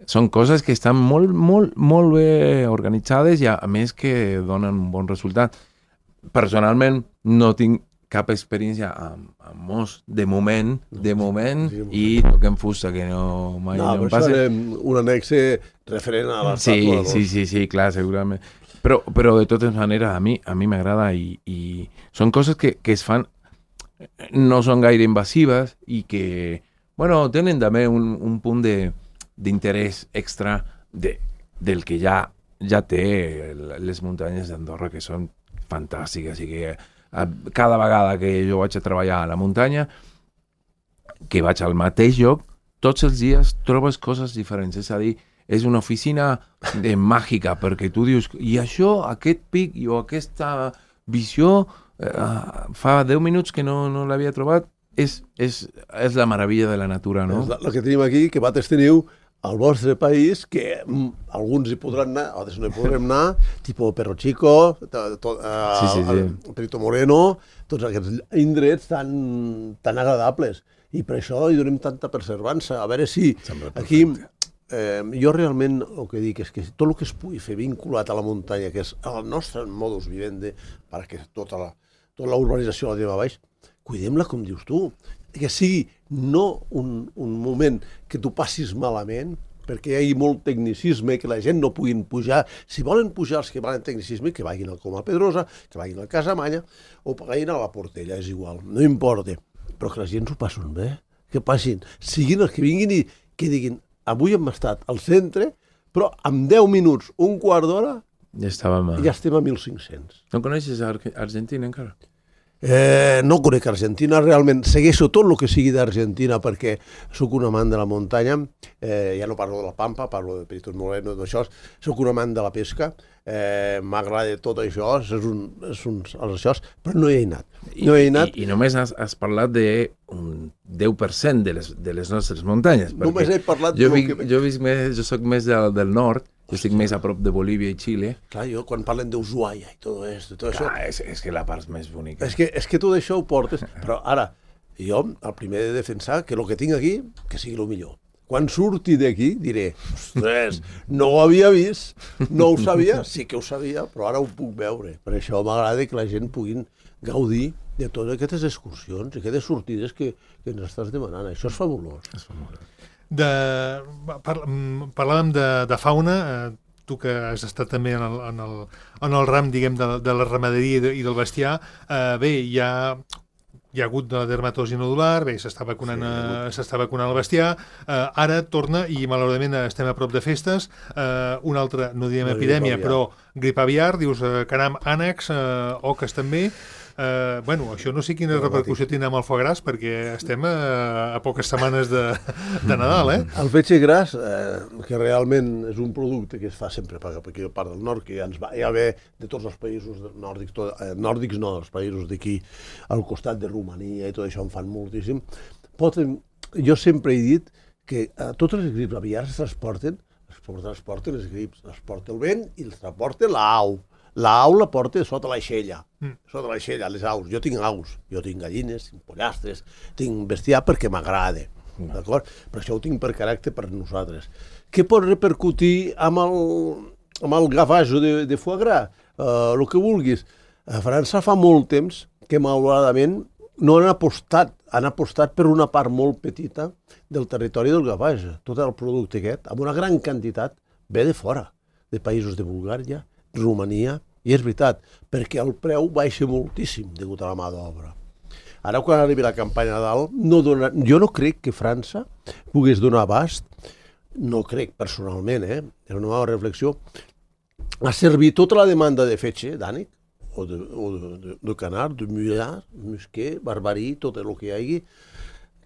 són coses que estan molt, molt, molt bé organitzades i a més que donen un bon resultat. Personalment no tinc cap experiència amb, amb mos, de moment, de moment, i toquem fusta, que no mai no, no em passa. passa. Un annexe referent a l'estàtua. Sí, sí, sí, sí, clar, segurament. Però, però de totes maneres, a mi a mi m'agrada i, i són coses que, que es fan, no són gaire invasives i que, bueno, tenen també un, un punt de, d'interès extra de, del que ja, ja té les muntanyes d'Andorra, que són fantàstiques i que cada vegada que jo vaig a treballar a la muntanya, que vaig al mateix lloc, tots els dies trobes coses diferents. És a dir, és una oficina de màgica, perquè tu dius, i això, aquest pic o aquesta visió, eh, fa deu minuts que no, no l'havia trobat, és, és, és la meravella de la natura, no? És el que tenim aquí, que vosaltres teniu al vostre país, que mm, alguns hi podran anar, altres no hi podrem anar, tipus Perro Chico, to, to, uh, sí, sí, sí. el Perito Moreno, tots aquests indrets tan, tan agradables. I per això hi donem tanta perservança. A veure si aquí... Eh, jo realment el que dic és que tot el que es pugui fer vinculat a la muntanya, que és el nostre modus vivendi, perquè tota la, tota la urbanització la tenim a baix, cuidem-la com dius tu, que sigui no un, un moment que tu passis malament, perquè hi hagi molt tecnicisme, que la gent no puguin pujar. Si volen pujar els que van en tecnicisme, que vagin al Coma Pedrosa, que vagin al Casamanya, o vagin a la Portella, és igual, no importa. Però que la gent s'ho passin bé, que passin, siguin els que vinguin i que diguin, avui hem estat al centre, però en deu minuts, un quart d'hora, ja, estàvem a... ja estem a mil cinc-cents. No coneixes Ar Argentina encara? Eh, no conec Argentina, realment segueixo tot el que sigui d'Argentina perquè sóc un amant de la muntanya, eh, ja no parlo de la Pampa, parlo de Perito Moreno, d'això, sóc un amant de la pesca, eh, m'agrada tot això, és un, és un, això, però no hi he anat. No hi he anat. I, i, i només has, has parlat d'un deu per cent de les, de les nostres muntanyes. Només he parlat... Jo, vic, que... jo, visc més, jo soc més del, del nord, jo estic més a prop de Bolívia i Xile. Clar, jo quan parlen d'Ushuaia i tot, esto, tot Clar, això... és, és que la part més bonica. És que, és que tot això ho portes... Però ara, jo, el primer de defensar que el que tinc aquí, que sigui el millor. Quan surti d'aquí diré, ostres, no ho havia vist, no ho sabia, sí que ho sabia, però ara ho puc veure. Per això m'agrada que la gent puguin gaudir de totes aquestes excursions i aquestes sortides que, que ens estàs demanant. Això és fabulós. És fabulós. De, par, parlàvem de, de fauna, eh, tu que has estat també en el, en el, en el ram, diguem, de, de la ramaderia i, de, i del bestiar, eh, bé, hi ha, hi ha hagut de la dermatosi nodular, bé, s'està vacunant, sí, s'està vacunant el bestiar, eh, ara torna, i malauradament estem a prop de festes, eh, una altra, no direm no, epidèmia, però grip aviar, dius, eh, caram, ànecs, eh, oques també. Uh, bueno, això no sé quina repercussió tindrà amb el foie gras, perquè estem a, a poques setmanes de, de Nadal, eh? El fetge gras, eh, que realment és un producte que es fa sempre per aquí a part del nord, que ja ens va ja ve de tots els països nòrdics, tot, eh, nòrdics no, els països d'aquí al costat de Romania i tot això en fan moltíssim. Pot, jo sempre he dit que eh, totes les grips aviars es transporten, es transporten les grips, es transporta el vent i els transporta l'au. L'au la porta sota l'aixella, mm. sota l'aixella, les aus. Jo tinc aus, jo tinc gallines, tinc pollastres, tinc bestiar perquè m'agrada, mm. d'acord? Però això ho tinc per caràcter per nosaltres. Què pot repercutir amb el, amb el gafajo de, de foie gras? Uh, el que vulguis. A França fa molt temps que, malauradament, no han apostat, han apostat per una part molt petita del territori del gafajo. Tot el producte aquest, amb una gran quantitat, ve de fora, de països de Bulgària, Romania, i és veritat, perquè el preu baixa moltíssim degut a la mà d'obra. Ara, quan arribi la campanya de dalt, no dona, jo no crec que França pogués donar abast, no crec personalment, eh? És una nova reflexió, a servir tota la demanda de fetge, d'ànec, o de, o de, de, de canard, de mullar, musquer, barbarí, tot el que hi hagi,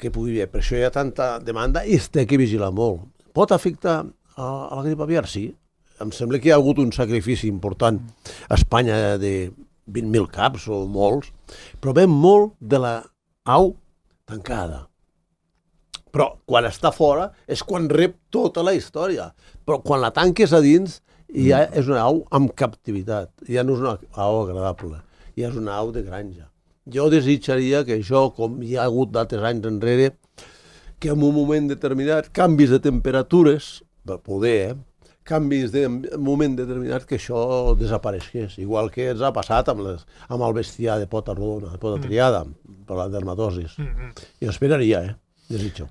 que pugui haver. Per això hi ha tanta demanda i es té que vigilar molt. Pot afectar a, a la grip aviar? Sí. Em sembla que hi ha hagut un sacrifici important a Espanya de vint mil caps o molts, però ve molt de la au tancada. Però quan està fora és quan rep tota la història. Però quan la tanques a dins ja és una au amb captivitat. Ja no és una au agradable, ja és una au de granja. Jo desitjaria que això, com hi ha hagut d'altres anys enrere, que en un moment determinat, canvis de temperatures, per poder, eh, canvis de moment determinat que això desapareixés, igual que ens ha passat amb, les, amb el bestiar de pota rodona, de pota triada, per la dermatosis. Mm-hmm. Jo esperaria, eh? Desitjo.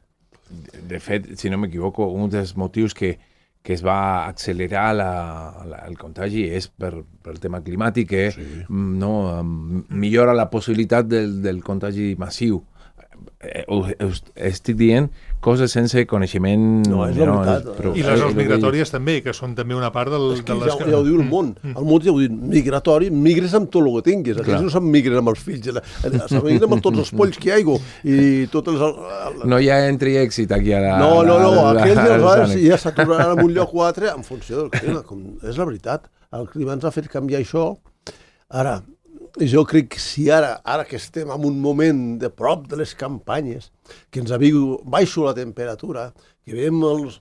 De, de fet, si no m'equivoco, un dels motius que, que es va accelerar la, la, el contagi és per, per el tema climàtic, que sí. no, millora la possibilitat del, del contagi massiu. Eh, estic dient coses sense coneixement. No, és la no, veritat. És, però, I les zones migratòries també, que són també una part del... És que de les... ja, ja ho diu el món. El món ja ho diu, migratori, migres amb tot el que tinguis. Aquells no se'n migren amb els fills, se'n migren amb tots els polls que hi ha i tots els... No hi ha entri èxit aquí a la... No, no, no, aquells ja, ja s'aturaran en un lloc o altre en funció del clima. Com, és la veritat. El clima ens ha fet canviar això. Ara, jo crec que si ara, ara que estem en un moment de prop de les campanyes, que ens aviu baixo la temperatura, que veiem els,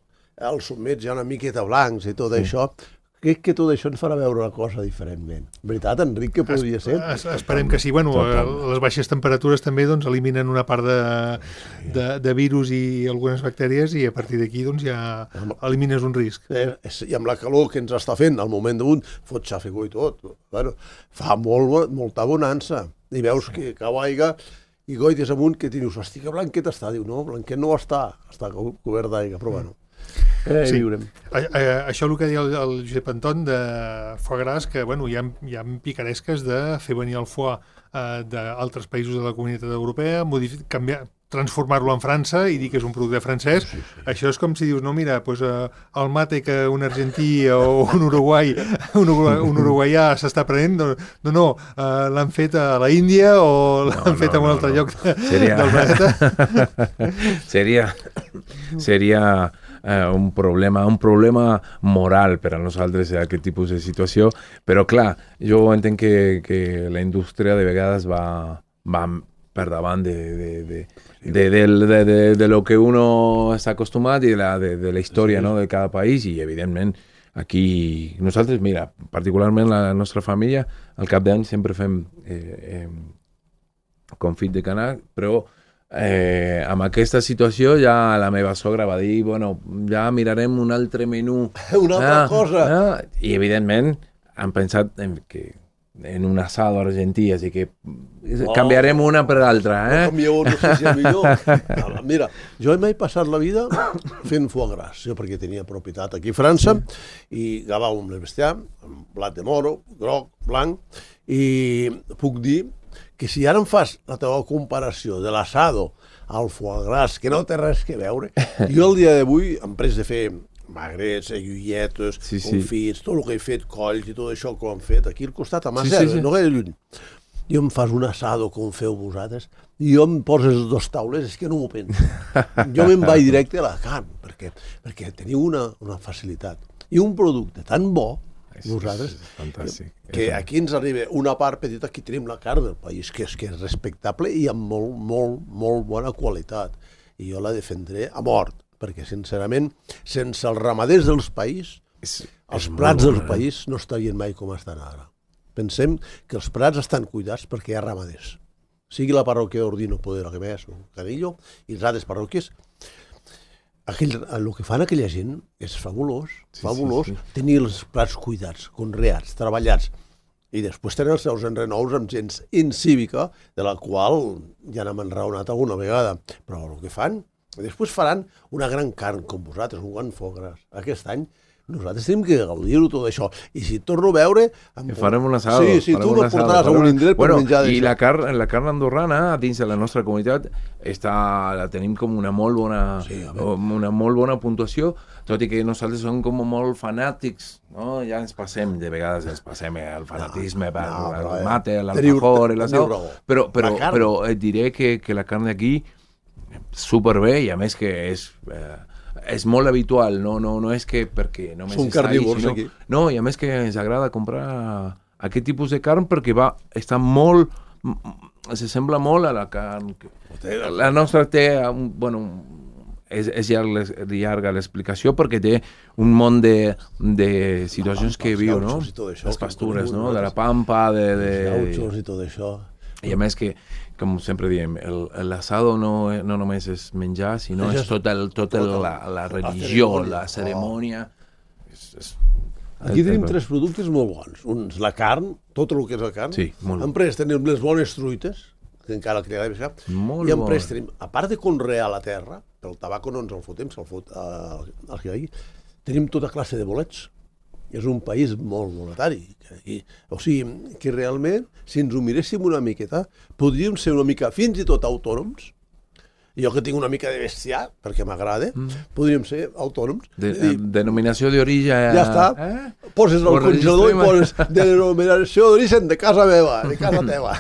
els sommets ja una miqueta blancs i tot sí. això, crec que tot això ens farà veure la cosa diferentment. Veritat, Enric, que podria ser? Es, esperem que sí. Bueno, les baixes temperatures també doncs, eliminen una part de, de, de virus i algunes bactèries i a partir d'aquí doncs, ja elimines un risc. Eh, I amb la calor que ens està fent, al moment d'un, fot xafegó i tot, bueno, fa molt, molta bonança. I veus que cau aigua i goites amunt que dius, hosti, que blanquet està. Diu, no, blanquet no està, està cobert d'aigua, però bueno. Eh, sí. A, a, això el que deia el, el Josep Anton de foie gras, que bueno, hi ha, hi ha picaresques de fer venir el foie eh, d'altres països de la comunitat europea, canviar, transformar-lo en França i dir que és un producte francès. Sí, sí. Això és com si dius, no, mira, pues, eh, el mate que un argentí o un uruguai, un, uruguai, un uruguaià s'està prenent, no, no, no eh, l'han fet a la Índia o l'han no, fet no, a un altre no, lloc de, seria... del planeta. seria... seria... Uh, un problema un problema moral per a nosaltres aquest tipus de situació, però clar, jo entenc que, que la indústria de vegades va, va per davant de, de, de, de, de, de, de, de lo que uno està acostumat i de la, de, de la història, sí, no, de cada país, i evidentment aquí nosaltres, mira, particularment la nostra família, al cap d'any sempre fem eh, eh, confit de canal, però Eh, amb aquesta situació ja la meva sogra va dir, bueno, ja mirarem un altre menú, una altra ah, cosa ah, i evidentment han pensat en, que, en un asado argentí, així que oh, canviarem una per l'altra, eh? No canvieu, no sé si és millor. Mira, jo m'he passat la vida fent foie gras, jo perquè tenia propietat aquí a França, i agafàvem el bestiar amb blat de moro, groc, blanc, i puc dir que si ara em fas la teva comparació de l'assado al foie gras, que no té res que veure, jo el dia d'avui em pres de fer magrets, aiguilletes, sí, sí. confits, tot el que he fet, colls i tot això que ho han fet aquí al costat, a Macer, sí, sí, sí. no gaire lluny. Jo em fas un assado com feu vosaltres i jo em poses dos taules, és que no m'ho penso. Jo me'n vaig directe a la carn, perquè, perquè teniu una, una facilitat. I un producte tan bo, nosaltres, fantàstic. Que aquí ens arriba una part petita, aquí tenim la carn del país, que és, que és respectable i amb molt, molt, molt bona qualitat. I jo la defendré a mort, perquè sincerament, sense els ramaders del país, és, els és prats del eh? país no estarien mai com estan ara. Pensem que els prats estan cuidats perquè hi ha ramaders. Sigui la parròquia d'Ordino, Poder, que més, o Canillo, i les altres parròquies, Aquell, el que fan aquella gent és fabulós, sí, fabulós, sí, sí. tenir els plats cuidats, conreats, treballats, i després tenen els seus enrenous amb gent incívica, de la qual ja n'hem enraonat alguna vegada, però el que fan, després faran una gran carn com vosaltres, un gran foie gras. Aquest any nosaltres tenim que gaudir-ho tot això, i si torno a veure... Amb... Farem un assado. Sí, sí, tu no portaràs a un indret bueno, per menjar d'això. I la carn, la carn andorrana, dins de la nostra comunitat, està, la tenim com una molt bona, sí, una molt bona puntuació, tot i que nosaltres som com molt fanàtics, no? Ja ens passem, de vegades ens passem el fanatisme no, per no, el eh, mate, l'alfajor, l'assado, però, però, però et diré que, que la carn d'aquí superbé, i a més que és... Eh, és molt habitual, no, no, no és que perquè no Són carnívors sinó, aquí. No, i a més que ens agrada comprar aquest tipus de carn perquè va, està molt, se sembla molt a la carn. La nostra té, bueno, és, és llarga l'explicació perquè té un munt de, de situacions que viu, no? Les pastures, no? De la pampa, de... de... Els gauchos i tot això. I a més que, com sempre diem, l'assado no, no només és menjar, sinó és tot el, tot el, la, la religió, la cerimònia. és, és... Aquí tenim tres productes molt bons. Un és la carn, tot el que és la carn. Sí, molt bo. Després tenim les bones truites, que encara que li agrada. Molt I després bo. tenim, a part de conrear la terra, pel tabaco no ens el fotem, se'l fot al que hi ha, tenim tota classe de bolets. És un país molt monetari. I, o sigui, que realment, si ens ho miréssim una miqueta, podríem ser una mica fins i tot autònoms. Jo que tinc una mica de bestiar, perquè m'agrada, mm. podríem ser autònoms. De, dir, denominació d'origen... Ja està. Eh? Poses el congelador i poses denominació d'origen de casa meva, de casa teva.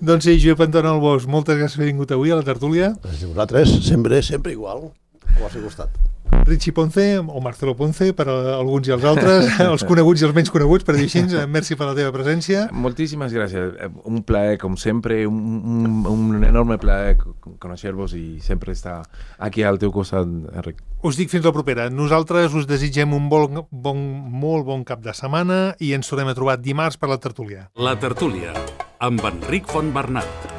Doncs sí, Josep Anton Albós, moltes gràcies per haver vingut avui a la tertúlia. Gràcies a vosaltres, sempre, sempre igual, al vostre costat. Richie Ponce, o Marcelo Ponce, per a alguns i els altres, els coneguts i els menys coneguts, per dir així. Merci per la teva presència. Moltíssimes gràcies. Un plaer, com sempre, un, un, un enorme plaer conèixer-vos i sempre estar aquí al teu costat, Enric. Us dic fins la propera. Nosaltres us desitgem un bon, bon, molt bon cap de setmana i ens tornem a trobar dimarts per la tertúlia. La tertúlia, amb Enric Fontbernat.